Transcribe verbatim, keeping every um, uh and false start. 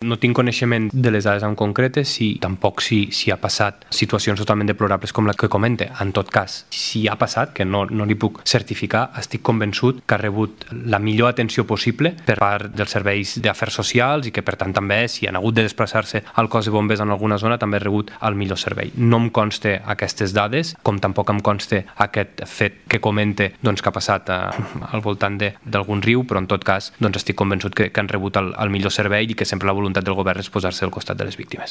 No tinc coneixement de les dades en concretes, si tampoc si, si ha passat situacions totalment deplorables com la que comente. En tot cas, si ha passat, que no, no li puc certificar, estic convençut que ha rebut la millor atenció possible per part dels serveis d'afers socials i que, per tant, també, si han hagut de desplaçar-se al cos de bombers en alguna zona, també ha rebut el millor servei. No em conste aquestes dades, com tampoc em conste aquest fet que comente doncs, que ha passat a, al voltant d'algun riu, però en tot cas doncs, estic convençut que, que han rebut el, el millor servei i que sempre la voluntat del govern és posar-se al costat de les víctimes.